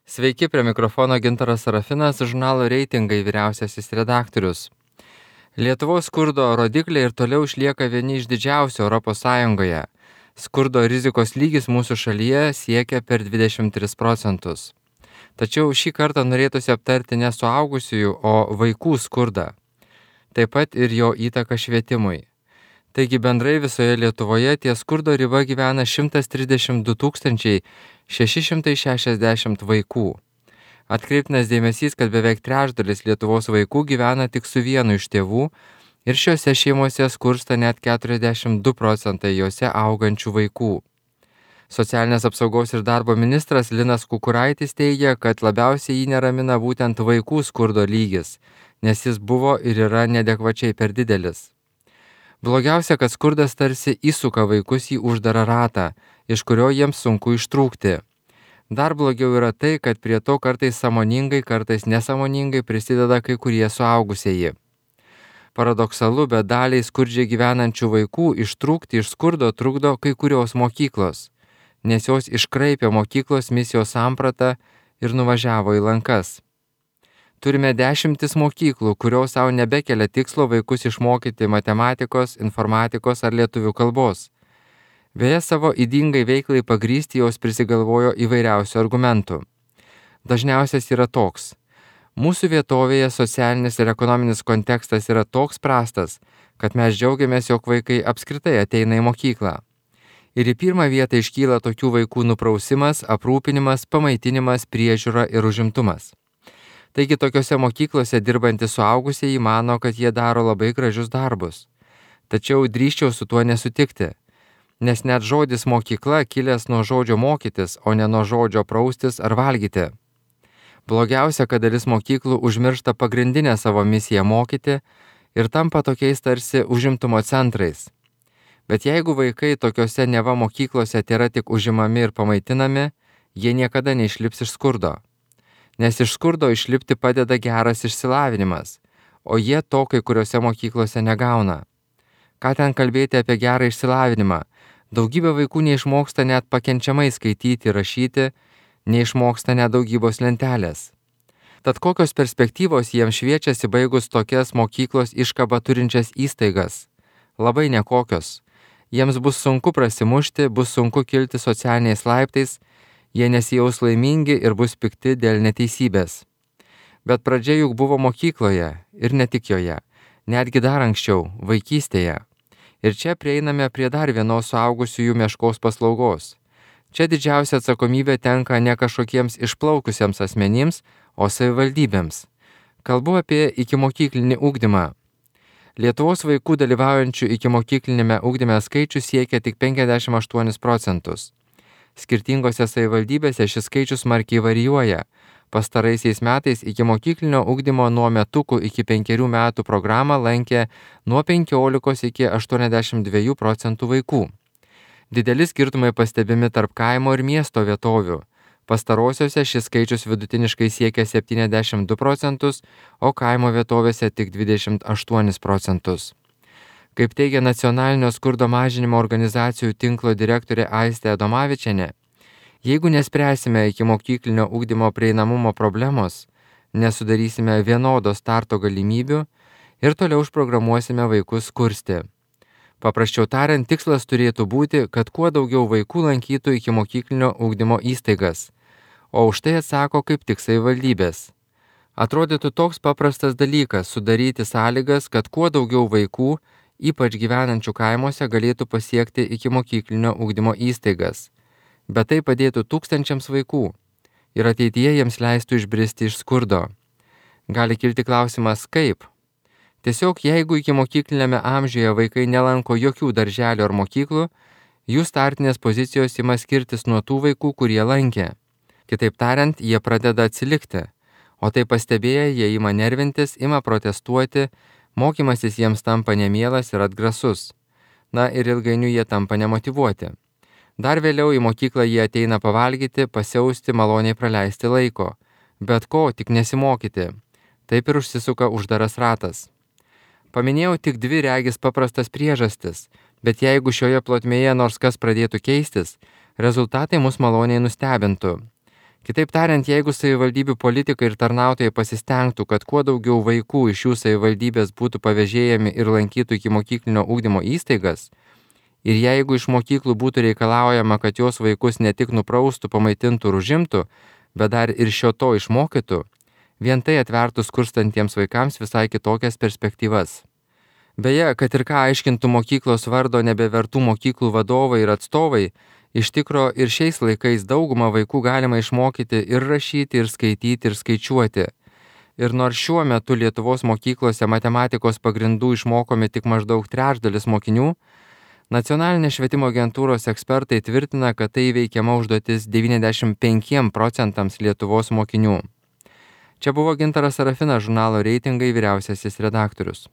Sveiki, prie mikrofono Gintaras Sarafinas, žurnalo Reitingai vyriausiasis redaktorius. Lietuvos skurdo rodikliai ir toliau išlieka vieni iš didžiausių ES. Skurdo rizikos lygis mūsų šalyje siekia per 23%. Tačiau šį kartą norėtųsi aptarti ne suaugusiųjų, o vaikų skurdą. Taip pat ir jo įtaką švietimui. Taigi bendrai visoje Lietuvoje ties skurdo riba gyvena 132 660 vaikų. Atkreiptinas dėmesys, kad beveik trečdalis Lietuvos vaikų gyvena tik su vienu iš tėvų ir šiuose šeimose skursta net 42% juose augančių vaikų. Socialinės apsaugos ir darbo ministras Linas Kukuraitis teigia, kad labiausiai jį neramina būtent vaikų skurdo lygis, nes jis buvo ir yra neadekvačiai per didelis. Blogiausia, kad skurdas tarsi įsuka vaikus į uždarą ratą, iš kurio jiems sunku ištrūkti. Dar blogiau yra tai, kad prie to kartais sąmoningai, kartais nesąmoningai prisideda kai kurie suaugusieji. Paradoksalu, bet daliai skurdžiai gyvenančių vaikų ištrūkti iš skurdo trukdo kai kurios mokyklos, nes jos iškraipė mokyklos misijos sampratą ir nuvažiavo į lankas. Turime 10 mokyklų, kurios savo nebekelia tikslo vaikus išmokyti matematikos, informatikos ar lietuvių kalbos. Beje, savo ydingai veiklai pagrysti jos prisigalvojo įvairiausių argumentų. Dažniausias yra toks. Mūsų vietovėje socialinis ir ekonominis kontekstas yra toks prastas, kad mes džiaugiamės, jog vaikai apskritai ateina į mokyklą. Ir į pirmą vietą iškyla tokių vaikų nuprausimas, aprūpinimas, pamaitinimas, priežiūra ir užimtumas. Taigi tokiose mokyklose dirbantys suaugusieji mano, kad jie daro labai gražius darbus. Tačiau drįsčiau su tuo nesutikti, nes net žodis mokykla kilęs nuo žodžio mokytis, o ne nuo žodžio praustis ar valgyti. Blogiausia, kad dalis mokyklų užmiršta pagrindinę savo misiją mokyti ir tampa tokiais tarsi užimtumo centrais. Bet jeigu vaikai tokiose neva mokyklose tėra tik užimami ir pamaitinami, jie niekada neišlips iš skurdo. Nes iš skurdo išlipti padeda geras išsilavinimas, o jie to kai kuriuose mokyklose negauna. Ką ten kalbėti apie gerą išsilavinimą? Daugybė vaikų neišmoksta net pakenčiamai skaityti ir rašyti, neišmoksta net daugybos lentelės. Tad kokios perspektyvos jiems šviečiasi baigus tokias mokyklos iškabą turinčias įstaigas? Labai nekokios. Jiems bus sunku prasimušti, bus sunku kilti socialiniais laiptais, jie nesijaus laimingi ir bus pikti dėl neteisybės. Bet pradžia juk buvo mokykloje ir ne tik joje, netgi dar anksčiau, vaikystėje. Ir čia prieiname prie dar vienos suaugusiųjų meškos paslaugos. Čia didžiausia atsakomybė tenka ne kažkokiems išplaukusiems asmenims, o savivaldybėms. Kalbu apie ikimokyklinį ugdymą. Lietuvos vaikų dalyvaujančių ikimokyklinėme ugdyme skaičius siekia tik 58%. Skirtingose savivaldybėse šis skaičius smarkiai varijuoja. Pastaraisiais metais ikimokyklinio ugdymo nuo metukų iki 5 metų programą lankė nuo 15 iki 82% vaikų. Dideli skirtumai pastebimi tarp kaimo ir miesto vietovių. Pastarosiuose šis skaičius vidutiniškai siekia 72%, o kaimo vietovėse tik 28%. Kaip teigia Nacionalinio skurdo mažinimo organizacijų tinklo direktorė Aistė Adomavičienė, jeigu nespręsime ikimokyklinio ugdymo prieinamumo problemos, nesudarysime vienodo starto galimybių ir toliau užprogramuosime vaikus skursti. Paprasčiau tariant, tikslas turėtų būti, kad kuo daugiau vaikų lankytų ikimokyklinio ugdymo įstaigas, o už tai atsako kaip tik savivaldybės. Atrodytų toks paprastas dalykas sudaryti sąlygas, kad kuo daugiau vaikų, ypač gyvenančių kaimuose, galėtų pasiekti ikimokyklinio ugdymo įstaigas. Bet tai padėtų tūkstančiams vaikų ir ateityje jiems leistų išbristi iš skurdo. Gali kilti klausimas, kaip? Tiesiog jeigu ikimokyklinėme amžiuje vaikai nelanko jokių darželių ar mokyklų, jų startinės pozicijos ima skirtis nuo tų vaikų, kurie lankė. Kitaip tariant, jie pradeda atsilikti, o tai pastebėję jie ima nervintis, ima protestuoti, mokymasis jiems tampa nemielas ir atgrasus. Na ir ilgainiui jie tampa nemotyvuoti. Dar vėliau į mokyklą jie ateina pavalgyti, pasiausti, maloniai praleisti laiko. Bet ko, tik nesimokyti. Taip ir užsisuka uždaras ratas. Paminėjau tik 2 regis paprastas priežastis, bet jeigu šioje plotmėje nors kas pradėtų keistis, rezultatai mus maloniai nustebintų. Kitaip tariant, jeigu savivaldybių politikai ir tarnautojai pasistengtų, kad kuo daugiau vaikų iš jų savivaldybės būtų pavėžėjami ir lankytų ikimokyklinio ugdymo įstaigas, ir jeigu iš mokyklų būtų reikalaujama, kad jos vaikus ne tik nupraustų, pamaitintų ir užimtų, bet dar ir šio to išmokytų, vien tai atvertų skurstantiems vaikams visai kitokias perspektyvas. Beje, kad ir ką aiškintų mokyklos vardo nebevertų mokyklų vadovai ir atstovai, iš tikro ir šiais laikais daugumą vaikų galima išmokyti ir rašyti, ir skaityti, ir skaičiuoti. Ir nors šiuo metu Lietuvos mokyklose matematikos pagrindų išmokomi tik maždaug trečdalis mokinių, Nacionalinės švietimo agentūros ekspertai tvirtina, kad tai įveikiama užduotis 95% Lietuvos mokinių. Čia buvo Gintaras Sarafinas, žurnalo Reitingai vyriausiasis redaktorius.